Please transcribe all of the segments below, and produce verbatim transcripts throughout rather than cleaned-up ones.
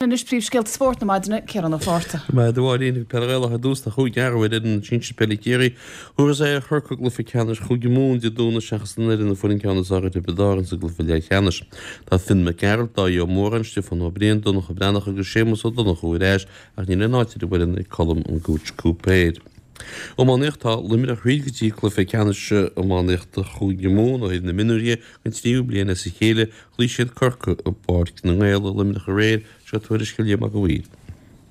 Anois príomhscéalta spóirt na maidine, Ciarán Ó Fátharta. Maith a Mháirín, Peil Ghaelach ar dtús, tá cúig athrú ar fhoireann sinsir peile Chiarraí. Thabharfas aghaidh ar Chorcaigh i gcluiche ceannais Chúige Mumhan Dé Domhnaigh seachas an fhoireann a fuair an ceann is fearr ar Thiobraid Árann sa gcluiche leathcheannais. Tá Finn Mac Gearailt, Dáithí Ó Móráin, Stiofán Ó Briain, Donncha Breathnach agus Séamus Ó Donnchú ar ais ach níl aon áit ar an bhfoireann ag Colm an Gooch Cúipéir. Iománaíocht Tá Luimneach thríd go dtí cluiche ceannais iománaíochta Chúige Mumhan ó thaobh na mionúirí don tríú bliain as a chéile. Chloígh siad Corcaigh i bPáirc na nGael i Luimneach aréir. Seo tuairisc ó Liam Mac a' Mhaoir.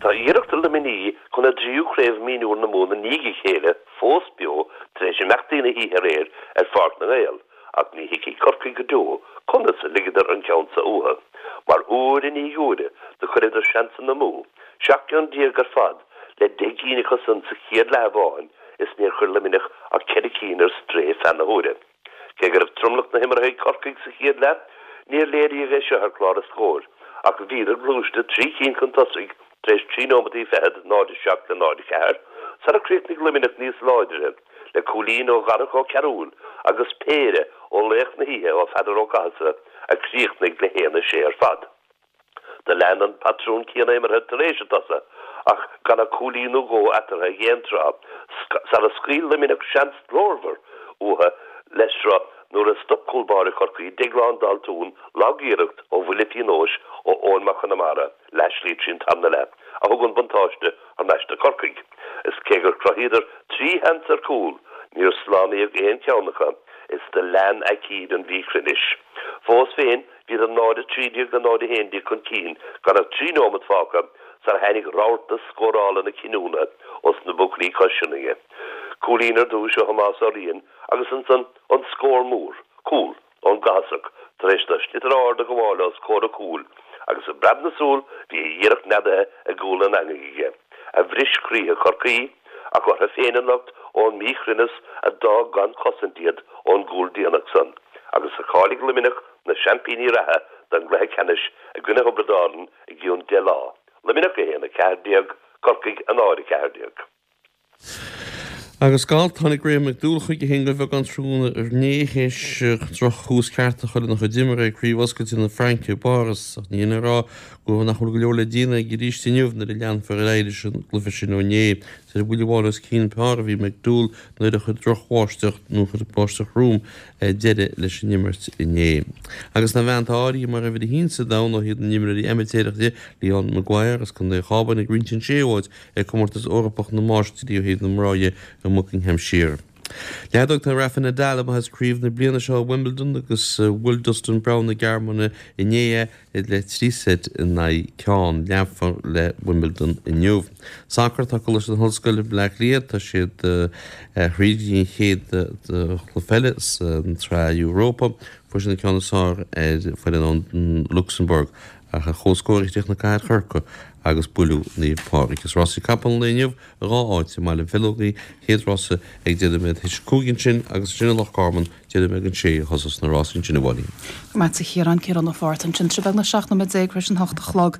Tá iarracht Luimnigh chun a dtríú Craobh Mionúir na Mumhan i ndiaidh a chéile fós beo tar éis imeachtaí na hoíche aréir ar Pháirc na nGael ach ní thuigfidh Corcaigh go deo conas a ligeadar an ceann seo uathu mar uair i ndiaidh uaire do chuireadar seansanna amú, seacht gceann déag ar fad le deich gcinn acu san sa chéad leath amháin is níor chuir Luimneach ach ceithre cinn ar strae feadh na huaire. Cé go raibh tromlach na himeartha ag Corcaigh sa chéad leath, níor léiríodh é seo ar chlár an scóir, ach bhíodar gluaiste trí cinn chun tosaigh tar éis trí nóimeataí fichead, náid a seacht le náid a ceathair, sara chríochnaigh Luimneach níos láidre, le cúilín ó Dharach Ó Cearúil agus péire ó laoch na hoíche ó Pheadar Ó Cathasaigh a chríochnaigh le haon a sé ar fad. Do lean an patrún céanna imeartha tar éis an tsosa ach gan ach cúilín nó dhó eatarthu ag aon tráth sara scaoil Luimneach seans glórmhar uathu le sruth nuair a stop cúl báire Chorcaí, Deaglán Daltún, lag-iarracht ó bhuille pionóis ó Eoin Mac Conamara leathshlí trí an tarna leath a thug an buntáiste thar n-ais do Chorcaigh. Is cé gur chruthaíodar trí sheans ar chúl, níor slánaíodh aon cheann acu is do lean aicíd an mhíchruinnis. Fós féin, Bhíodar náid a trí déag le náid a haon déag chun cinn gan ach trí nóimeat fágtha sar tháinig rabharta scórála na cinniúna os na buachaillí cois Sionainne. Cúilín ar dtúis ó Thomás Ó Riain agus ansan an scór mór, cúl ón gCathasach tar éis do sliotar ard a ghabháil os comhair a chúil agus i bpreab na súl bhí a iarracht neadaithe i gcúl an eangaigh aige, a bhris croíthe Chorcaí, ach orthu féin an locht ón míchruinneas a d'fhág gan chosaint iad ón gcúl déanach san agus a cháiligh Luimneach na seaimpíní reatha don gcluiche ceannais i gcoinne Thiobraid Árann i gcionn deich lá, Luimneach a haon a ceathair déag, Corcaigh a náid a ceathair déag. Agus galf, tháinig Graham McDowell chuige féin de bheagán tráthnóna inné théis droch-thús ceart a chur lena chuid imeartha ag Craobh Oscailte na Fraince i bPáras ach ní hin le rá go nach bhfuil go leor le déanamh aige arís inniu nuair a leanfar ar aghaidh leis an gcluiche sin ó inné. Is ar bhuille amháin os cionn par a bhí McDowell nuair a chuir drochbháisteach nó chuir báisteach throm deireadh leis an imirt inné. Agus an bhean atá áirithe mar uimhir a haon sa domhan ó thaobh na n-imreoirí amaitéarach de, Leanne Maguire as Contae an Chábáin ag roinnt an séú háit ag Comórtas Eorpach na Máistrí ó thaobh na mná dhe i mBuckinghamshire. Leadóg Tá Rafa Nadal amuigh as craobh na bliana seo i Wimbledon agus bhuail Dustin Brown na Gearmáine inné é le trí seit in aghaidh ceann. Leanfar le Wimbledon inniu. Sacar Tá Coláiste na hOllscoile Bleá Cliath tá siad thríd go dtí an chéad chluiche eile sa tSraith Europa. Fuair siad an ceann is fearr ar foireann ón Lucsamburg ach ar comhscór a chríochnaigh Cathair Chorcaí agus buaileadh Naomh Pádraig. Is rásaí capall an lae inniu i dhá áit i mBaile an Bhileogaigh, chéad rása ag deich nóiméad théis a cúig ansin agus ansin i Loch Garman deich nóiméad don sé a thosós na rásaí ansin a Mháirín. Go raibh maith agat a Chiaráin, Ciarán Ó Fátharta ansin, trí beagnach seacht nóiméad déag tar éis an hocht a chlog.